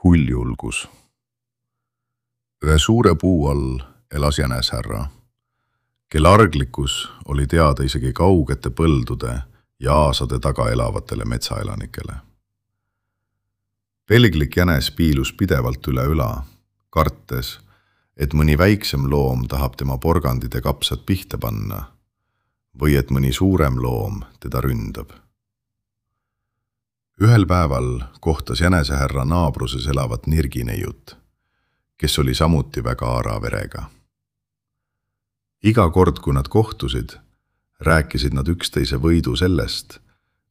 Huljulgus. Ühe suure puu all elas jänesärra, kel arglikkus oli teada isegi kaugete põldude ja aasade taga elavatele metsaelanikele. Pelglik jänes piilus pidevalt üle üla, kartes, et mõni väiksem loom tahab tema porgandid ja kapsad pihta panna või et mõni suurem loom teda ründab. Ühel päeval kohtas jänesehärra naabruses elavat nirgineiut, kes oli samuti väga aara verega. Iga kord, kui nad kohtusid, rääkisid nad üksteise võidu sellest,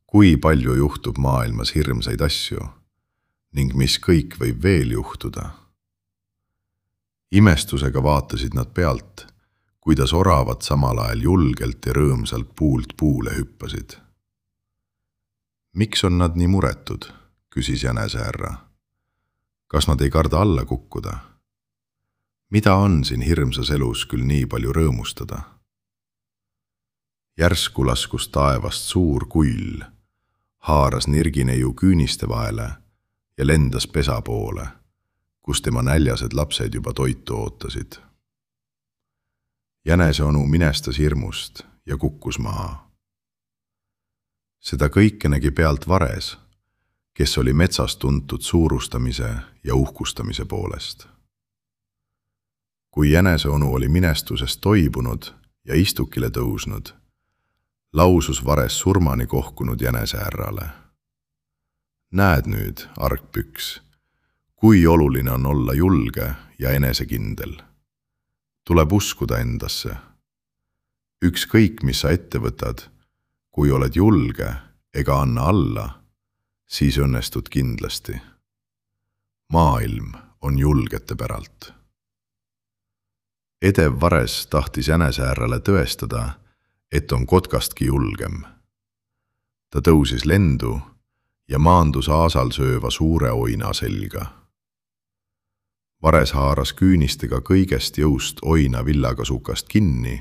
kui palju juhtub maailmas hirmsaid asju ning mis kõik võib veel juhtuda. Imestusega vaatasid nad pealt, kuidas oravad samal ajal julgelt ja rõõmsalt puult puule hüppasid. Miks on nad nii muretud, küsis jänesehärra. Kas nad ei karda alla kukkuda? Mida on siin hirmsas elus küll nii palju rõõmustada? Järsku laskus taevast suur kull, haaras nirgineiu küüniste vahele ja lendas pesa poole, kus tema näljased lapsed juba toitu ootasid. Jäneseonu minestas hirmust ja kukkus maha. Seda kõike nägi pealt Vares, kes oli metsas tuntud suurustamise ja uhkustamise poolest. Kui jäneseonu oli minestusest toibunud ja istukile tõusnud, lausus Vares surmani kohkunud jänesehärrale. Näed nüüd, argpüks, kui oluline on olla julge ja enesekindel. Tuleb uskuda endasse. Ükskõik, mis sa ette võtad, kui oled julge ega anna alla, siis õnnestud kindlasti. Maailm on julgete päralt. Edev Vares tahtis jänesehärrale tõestada, et on kotkastki julgem. Ta tõusis lendu ja maandus aasal sööva suure oina selga. Vares haaras küünistega kõigest jõust oina villakasukast kinni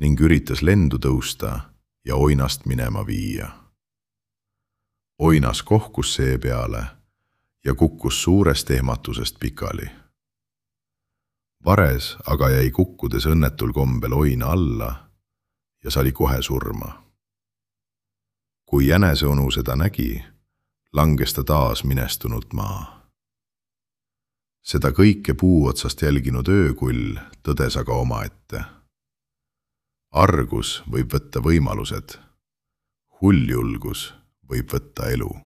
ning üritas lendu tõusta ja oinast minema viia. Oinas kohkus seepeale ja kukkus suurest ehmatusest pikali. Vares aga jäi kukkudes õnnetul kombel oina alla ja sali kohe surma. Kui jäneseonu seda nägi, langes ta taas minestunult maa. Seda kõike puu otsast jälginud öökull tõdes aga omaette. Argus võib võtta võimalused, huljulgus võib võtta elu.